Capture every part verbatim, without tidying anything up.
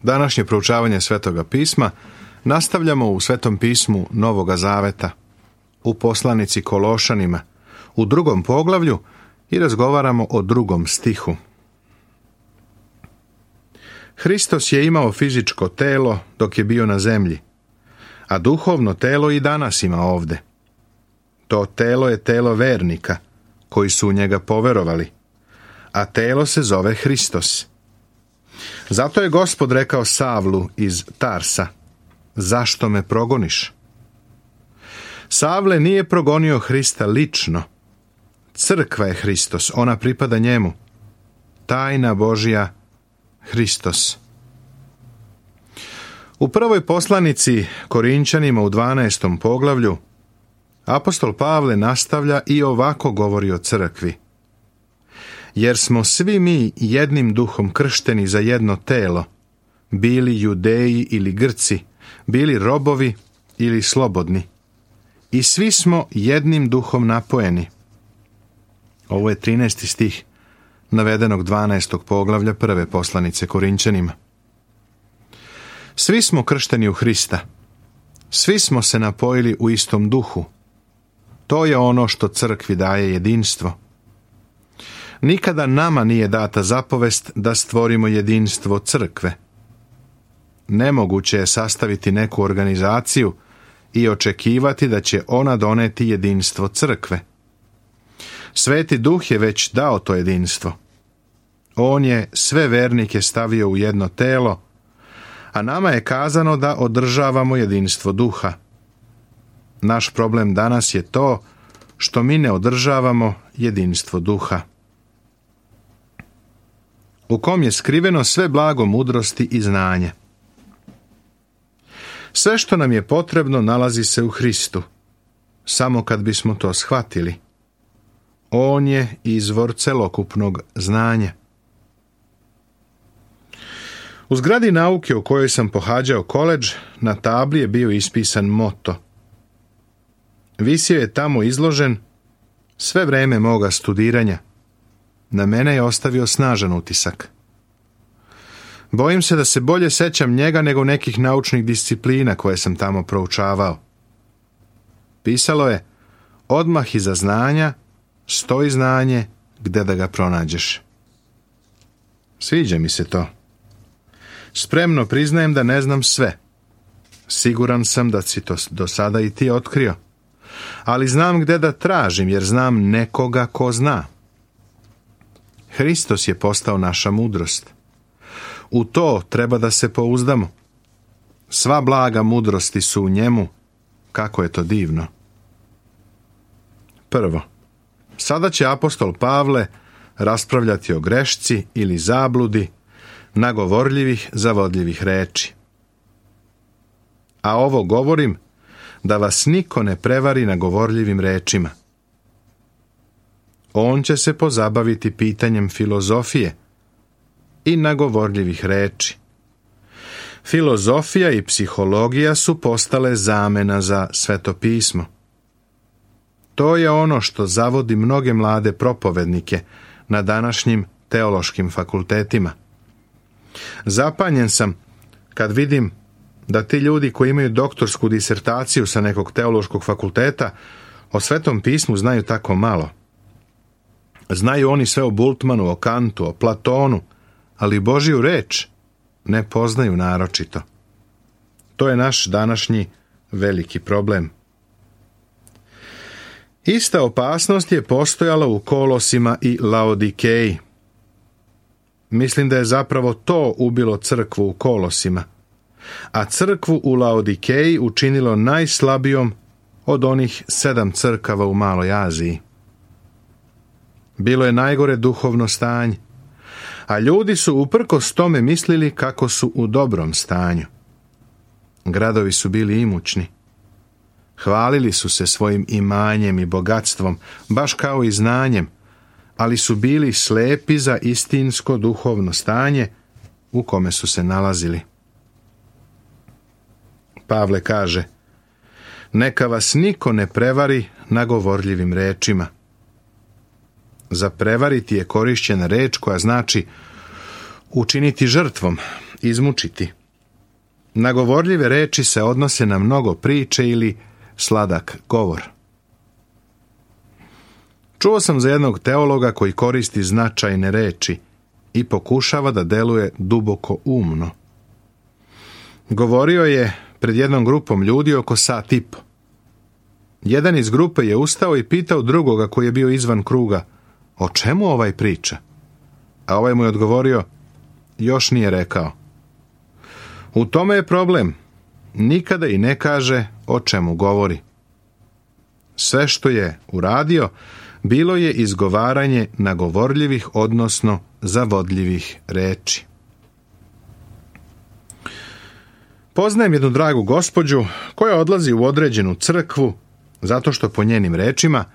Današnje proučavanje Svetoga pisma nastavljamo u Svetom pismu Novoga Zaveta, u poslanici Kološanima, u drugom poglavlju i razgovaramo o drugom stihu. Hristos je imao fizičko telo dok je bio na zemlji, a duhovno telo i danas ima ovde. To telo je telo vernika, koji su u njega poverovali, a telo se zove Hristos. Zato je Gospod rekao Savlu iz Tarsa: zašto me progoniš? Savle nije progonio Hrista lično. Crkva je Hristos, ona pripada njemu. Tajna Božja, Hristos. U prvoj poslanici Korinčanima u dvanaestom poglavlju apostol Pavle nastavlja i ovako govori o crkvi. Jer smo svi mi jednim duhom kršteni za jedno telo, bili Judeji ili Grci, bili robovi ili slobodni. I svi smo jednim duhom napojeni. Ovo je trinaesti stih navedenog dvanaestog poglavlja prve poslanice Korinčanima. Svi smo kršteni u Hrista. Svi smo se napojili u istom duhu. To je ono što crkvi daje jedinstvo. Nikada nama nije data zapovest da stvorimo jedinstvo crkve. Nemoguće je sastaviti neku organizaciju i očekivati da će ona doneti jedinstvo crkve. Sveti Duh je već dao to jedinstvo. On je sve vernike stavio u jedno telo, a nama je kazano da održavamo jedinstvo duha. Naš problem danas je to što mi ne održavamo jedinstvo duha, u kom je skriveno sve blago mudrosti i znanje. Sve što nam je potrebno nalazi se u Hristu, samo kad bismo to shvatili. On je izvor celokupnog znanja. U zgradi nauke u kojoj sam pohađao koledž, na tabli je bio ispisan moto. Visio je tamo izložen sve vreme moga studiranja. Na mene je ostavio snažan utisak. Bojim se da se bolje sećam njega nego nekih naučnih disciplina koje sam tamo proučavao. Pisalo je: odmah iza znanja stoji znanje, gde da ga pronađeš. Sviđa mi se to. Spremno priznajem da ne znam sve. Siguran sam da si to do sada i ti otkrio. Ali znam gde da tražim, jer znam nekoga ko zna. Hristos je postao naša mudrost. U to treba da se pouzdamo. Sva blaga mudrosti su u njemu. Kako je to divno. Prvo, sada će apostol Pavle raspravljati o grešci ili zabludi nagovorljivih, zavodljivih reči. A ovo govorim da vas niko ne prevari nagovorljivim rečima. On će se pozabaviti pitanjem filozofije i nagovorljivih reči. Filozofija i psihologija su postale zamena za Sveto pismo. To je ono što zavodi mnoge mlade propovednike na današnjim teološkim fakultetima. Zapanjen sam kad vidim da ti ljudi koji imaju doktorsku disertaciju sa nekog teološkog fakulteta o Svetom pismu znaju tako malo. Znaju oni sve o Bultmanu, o Kantu, o Platonu, ali Božju reč ne poznaju naročito. To je naš današnji veliki problem. Ista opasnost je postojala u Kolosima i Laodikeji. Mislim da je zapravo to ubilo crkvu u Kolosima, a crkvu u Laodikeji učinilo najslabijom od onih sedam crkava u Maloj Aziji. Bilo je najgore duhovno stanje, a ljudi su uprkos tome mislili kako su u dobrom stanju. Gradovi su bili imućni. Hvalili su se svojim imanjem i bogatstvom, baš kao i znanjem, ali su bili slepi za istinsko duhovno stanje u kome su se nalazili. Pavle kaže: neka vas niko ne prevari nagovorljivim rečima. Za prevariti je korišćena reč koja znači učiniti žrtvom izmučiti. Na govorljive reči se odnose na mnogo priče ili sladak govor. Čuo sam za jednog teologa koji koristi značajne reči i pokušava da deluje duboko umno. Govorio je pred jednom grupom ljudi oko sat i po. Jedan iz grupe je ustao i pitao drugoga koji je bio izvan kruga, o čemu ovaj priča? A ovaj mu je odgovorio, još nije rekao. U tome je problem. Nikada i ne kaže o čemu govori. Sve što je uradio, bilo je izgovaranje nagovorljivih, odnosno zavodljivih reči. Poznajem jednu dragu gospođu koja odlazi u određenu crkvu, zato što po njenim rečima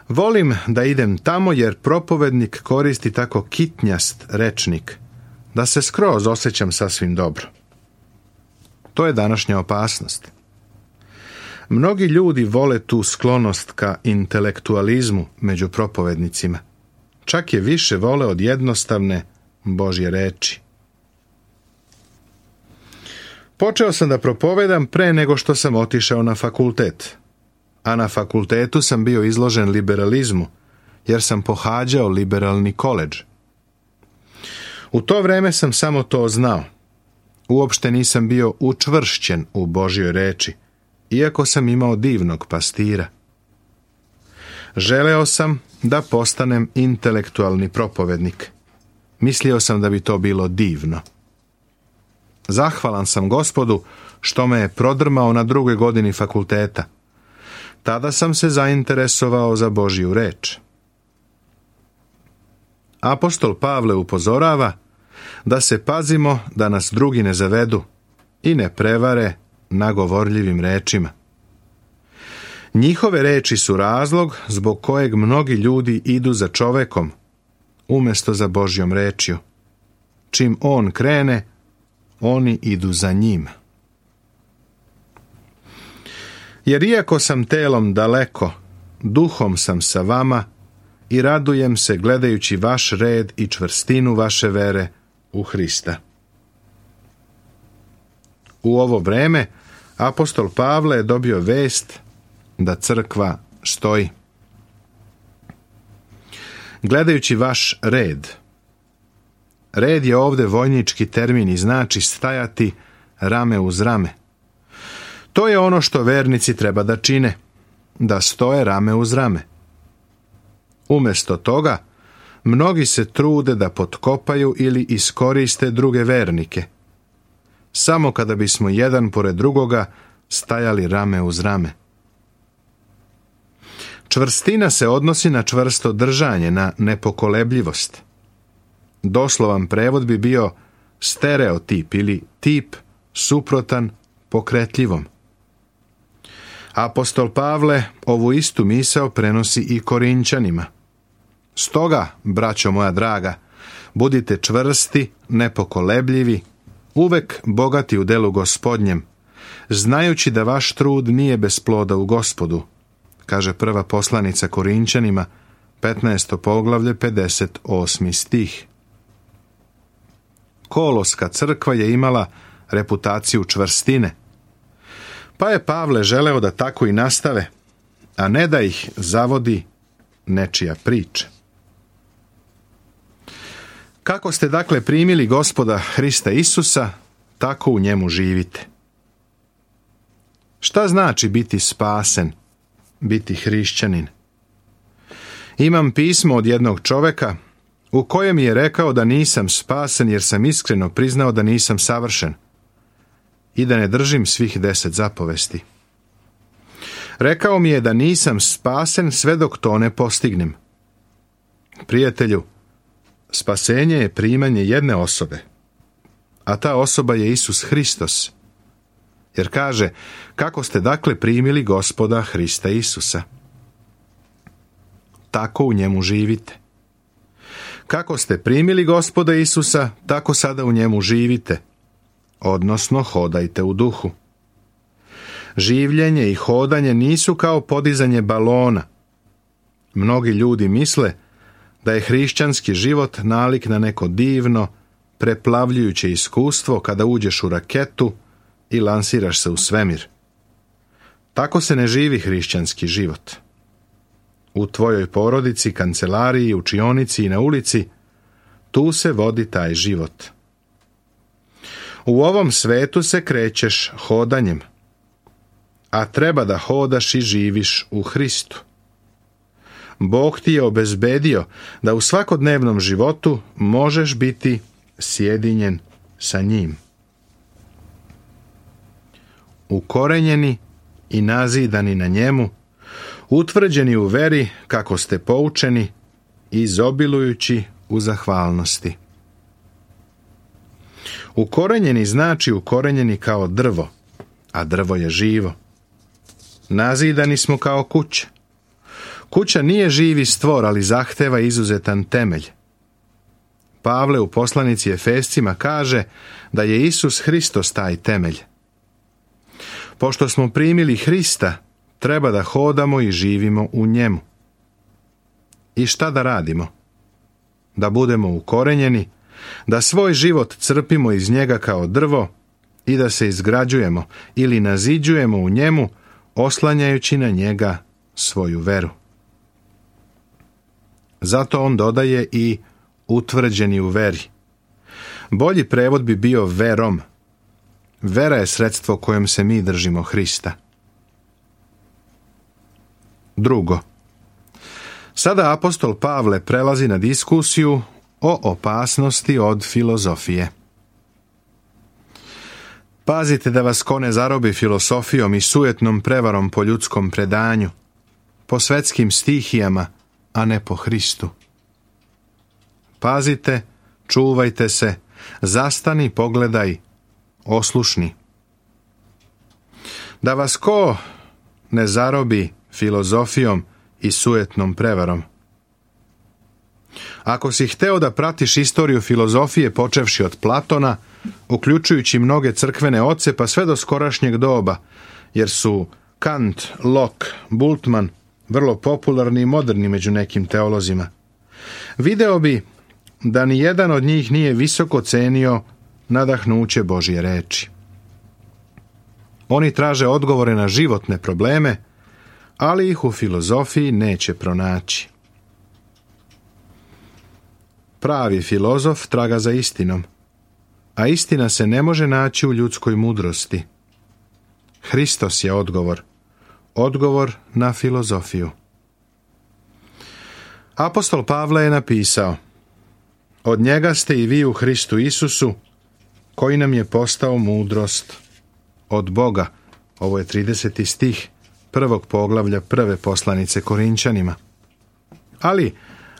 volim da idem tamo jer propovednik koristi tako kitnjast rečnik, da se skroz osjećam sasvim dobro. To je današnja opasnost. Mnogi ljudi vole tu sklonost ka intelektualizmu među propovednicima. Čak je više vole od jednostavne Božje reči. Počeo sam da propovedam pre nego što sam otišao na fakultet. A na fakultetu sam bio izložen liberalizmu, jer sam pohađao liberalni koledž. U to vreme sam samo to znao. Uopšte nisam bio učvršćen u Božjoj reči, iako sam imao divnog pastira. Želeo sam da postanem intelektualni propovednik. Mislio sam da bi to bilo divno. Zahvalan sam Gospodu što me je prodrmao na drugoj godini fakulteta. Tada sam se zainteresovao za Božju reč. Apostol Pavle upozorava da se pazimo da nas drugi ne zavedu i ne prevare nagovorljivim rečima. Njihove reči su razlog zbog kojeg mnogi ljudi idu za čovekom, umjesto za Božjom rečju. Čim on krene, oni idu za njim. Jer iako sam telom daleko, duhom sam sa vama i radujem se gledajući vaš red i čvrstinu vaše vere u Hrista. U ovo vreme apostol Pavle je dobio vest da crkva stoji. Gledajući vaš red. Red je ovdje vojnički termin i znači stajati rame uz rame. To je ono što vernici treba da čine, da stoje rame uz rame. Umjesto toga, mnogi se trude da potkopaju ili iskoriste druge vernike. Samo kada bismo jedan pored drugoga stajali rame uz rame. Čvrstina se odnosi na čvrsto držanje, na nepokolebljivost. Doslovan prevod bi bio stereotip ili tip suprotan pokretljivom. Apostol Pavle ovu istu misao prenosi i Korinćanima. Stoga, braćo moja draga, budite čvrsti, nepokolebljivi, uvek bogati u delu Gospodnjem, znajući da vaš trud nije bez ploda u Gospodu, kaže prva poslanica Korinćanima, petnaesto poglavlje, pedeset osmi stih. Koloska crkva je imala reputaciju čvrstine, pa je Pavle želeo da tako i nastave, a ne da ih zavodi nečija priča. Kako ste dakle primili Gospoda Hrista Isusa, tako u njemu živite. Šta znači biti spasen, biti hrišćanin? Imam pismo od jednog čoveka u kojem je rekao da nisam spasen jer sam iskreno priznao da nisam savršen i da ne držim svih deset zapovesti. Rekao mi je da nisam spasen sve dok to ne postignem. Prijatelju, spasenje je primanje jedne osobe, a ta osoba je Isus Hristos. Jer kaže, kako ste dakle primili Gospoda Hrista Isusa? Tako u njemu živite. Kako ste primili Gospoda Isusa, tako sada u njemu živite, odnosno hodajte u duhu. Življenje i hodanje nisu kao podizanje balona. Mnogi ljudi misle da je hrišćanski život nalik na neko divno, preplavljujuće iskustvo kada uđeš u raketu i lansiraš se u svemir. Tako se ne živi hrišćanski život. U tvojoj porodici, kancelariji, učionici i na ulici, tu se vodi taj život. U ovom svetu se krećeš hodanjem, a treba da hodaš i živiš u Hristu. Bog ti je obezbedio da u svakodnevnom životu možeš biti sjedinjen sa njim. Ukorenjeni i nazidani na njemu, utvrđeni u veri kako ste poučeni, izobilujući u zahvalnosti. Ukorenjeni znači ukorenjeni kao drvo, a drvo je živo. Nazidani smo kao kuća. Kuća nije živi stvor, ali zahteva izuzetan temelj. Pavle u poslanici Efescima kaže da je Isus Hristos taj temelj. Pošto smo primili Hrista, treba da hodamo i živimo u njemu. I šta da radimo? Da budemo ukorenjeni, da svoj život crpimo iz njega kao drvo i da se izgrađujemo ili naziđujemo u njemu, oslanjajući na njega svoju veru. Zato on dodaje i utvrđeni u veri. Bolji prevod bi bio verom. Vera je sredstvo kojom se mi držimo Hrista. Drugo. Sada apostol Pavle prelazi na diskusiju o opasnosti od filozofije. Pazite da vas ko ne zarobi filosofijom i sujetnom prevarom po ljudskom predanju, po svetskim stihijama, a ne po Hristu. Pazite, čuvajte se, zastani, pogledaj, oslušni. Da vas ko ne zarobi filozofijom i sujetnom prevarom. Ako si hteo da pratiš istoriju filozofije počevši od Platona, uključujući mnoge crkvene oce pa sve do skorašnjeg doba, jer su Kant, Locke, Bultmann vrlo popularni i moderni među nekim teolozima, video bi da ni jedan od njih nije visoko cenio nadahnuće Božje reči. Oni traže odgovore na životne probleme, ali ih u filozofiji neće pronaći. Pravi filozof traga za istinom, a istina se ne može naći u ljudskoj mudrosti. Hristos je odgovor, odgovor na filozofiju. Apostol Pavle je napisao: od njega ste i vi u Hristu Isusu, koji nam je postao mudrost od Boga. Ovo je trideseti stih prvog poglavlja prve poslanice Korinčanima. Ali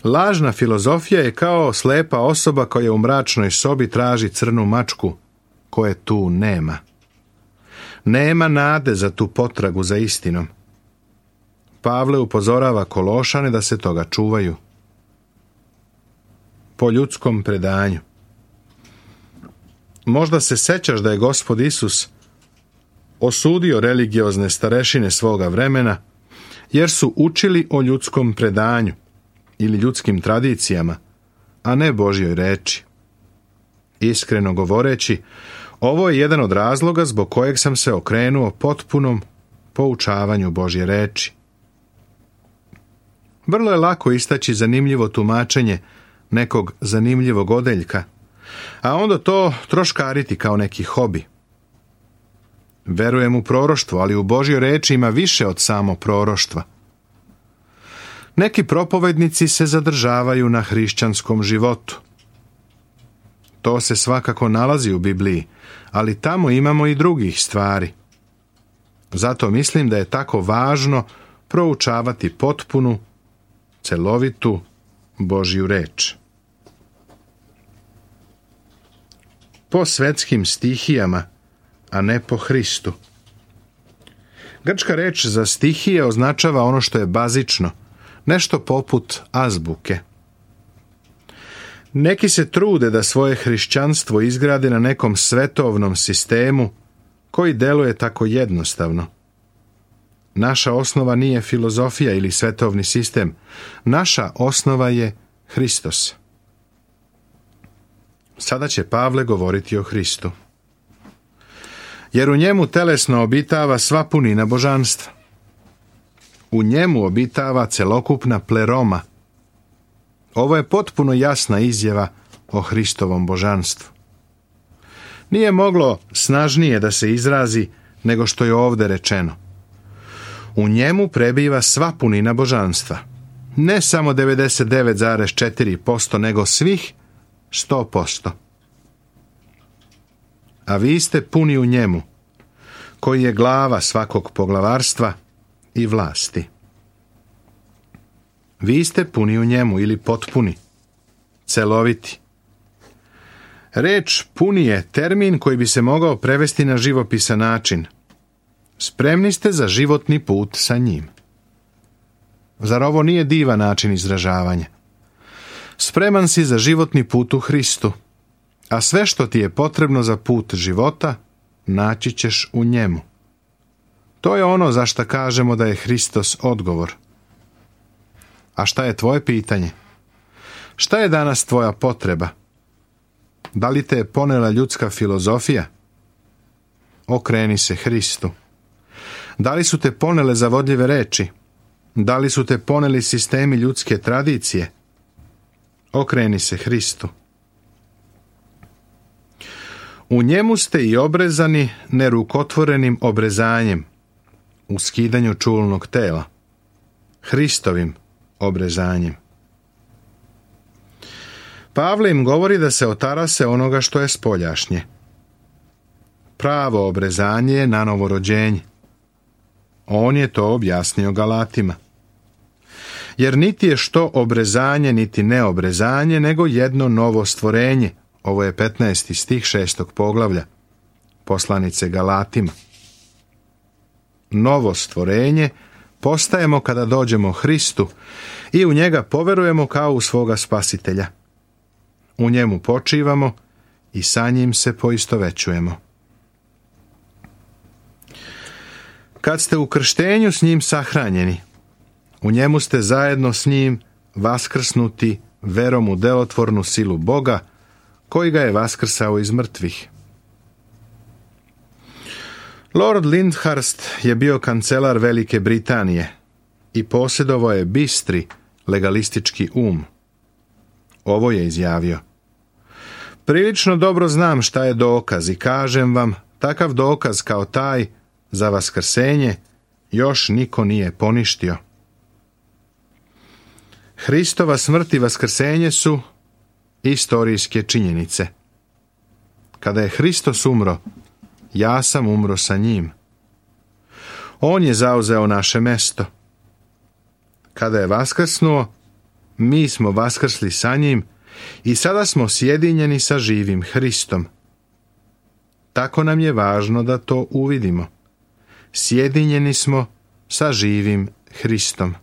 lažna filozofija je kao slepa osoba koja u mračnoj sobi traži crnu mačku, koje tu nema. Nema nade za tu potragu za istinom. Pavle upozorava Kološane da se toga čuvaju. Po ljudskom predanju. Možda se sećaš da je Gospod Isus osudio religiozne starešine svoga vremena, jer su učili o ljudskom predanju ili ljudskim tradicijama, a ne Božjoj reči. Iskreno govoreći, ovo je jedan od razloga zbog kojeg sam se okrenuo potpunom poučavanju Božje reči. Vrlo je lako istaći zanimljivo tumačenje nekog zanimljivog odeljka, a onda to troškariti kao neki hobi. Verujem u proroštvo, ali u Božjoj reči ima više od samo proroštva. Neki propovednici se zadržavaju na hrišćanskom životu. To se svakako nalazi u Bibliji, ali tamo imamo i drugih stvari. Zato mislim da je tako važno proučavati potpunu, celovitu Božju reč. Po svetskim stihijama, a ne po Hristu. Grčka reč za stihije označava ono što je bazično, nešto poput azbuke. Neki se trude da svoje hrišćanstvo izgrade na nekom svetovnom sistemu koji deluje tako jednostavno. Naša osnova nije filozofija ili svetovni sistem. Naša osnova je Hristos. Sada će Pavle govoriti o Hristu. Jer u njemu telesno obitava sva punina božanstva. U njemu obitava celokupna pleroma. Ovo je potpuno jasna izjava o Hristovom božanstvu. Nije moglo snažnije da se izrazi nego što je ovdje rečeno. U njemu prebiva sva punina božanstva. Ne samo devedeset devet zarez četiri posto, nego svih sto posto. A vi ste puni u njemu, koji je glava svakog poglavarstva i vlasti. Vi ste puni u njemu ili potpuni, celoviti. Reč puni je termin koji bi se mogao prevesti na živopisan način. Spremni ste za životni put sa njim. Zar ovo nije divan način izražavanja? Spreman si za životni put u Hristu, a sve što ti je potrebno za put života naći ćeš u njemu. To je ono za što kažemo da je Hristos odgovor. A šta je tvoje pitanje? Šta je danas tvoja potreba? Da li te je ponela ljudska filozofija? Okreni se Hristu. Da li su te ponele zavodljive reči? Da li su te poneli sistemi ljudske tradicije? Okreni se Hristu. U njemu ste i obrezani nerukotvorenim obrezanjem, u skidanju čulnog tela, Hristovim obrezanjem. Pavle im govori da se otarase onoga što je spoljašnje. Pravo obrezanje je nanovo rođenje. On je to objasnio Galatima. Jer niti je što obrezanje, niti neobrezanje, nego jedno novo stvorenje. Ovo je petnaesti stih šestog poglavlja poslanice Galatima. Novo stvorenje postajemo kada dođemo Hristu i u njega poverujemo kao u svoga spasitelja. U njemu počivamo i sa njim se poistovećujemo. Kad ste u krštenju s njim sahranjeni, u njemu ste zajedno s njim vaskrsnuti verom u delotvornu silu Boga, koji ga je vaskrsao iz mrtvih. Lord Lyndhurst je bio kancelar Velike Britanije i posjedovao je bistri legalistički um. Ovo je izjavio: prilično dobro znam šta je dokaz i kažem vam, takav dokaz kao taj za vaskrsenje još niko nije poništio. Hristova smrt i vaskrsenje su istorijske činjenice. Kada je Hristos umro, ja sam umro sa njim. On je zauzeo naše mesto. Kada je vaskrsnuo, mi smo vaskrsli sa njim i sada smo sjedinjeni sa živim Hristom. Tako nam je važno da to uvidimo. Sjedinjeni smo sa živim Hristom.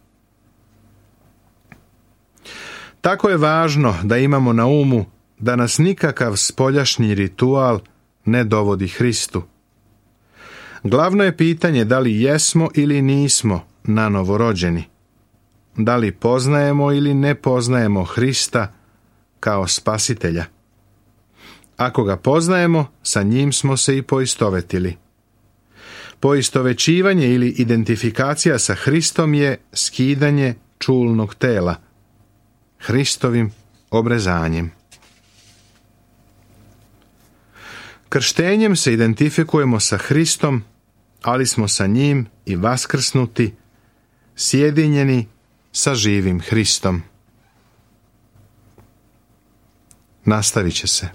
Tako je važno da imamo na umu da nas nikakav spoljašnji ritual ne dovodi Hristu. Glavno je pitanje da li jesmo ili nismo nanovo rođeni. Da li poznajemo ili ne poznajemo Hrista kao spasitelja. Ako ga poznajemo, sa njim smo se i poistovetili. Poistovećivanje ili identifikacija sa Hristom je skidanje čulnog tela, Hristovim obrezanjem. Krštenjem se identifikujemo sa Hristom, ali smo sa njim i vaskrsnuti, sjedinjeni sa živim Hristom. Nastavit će se.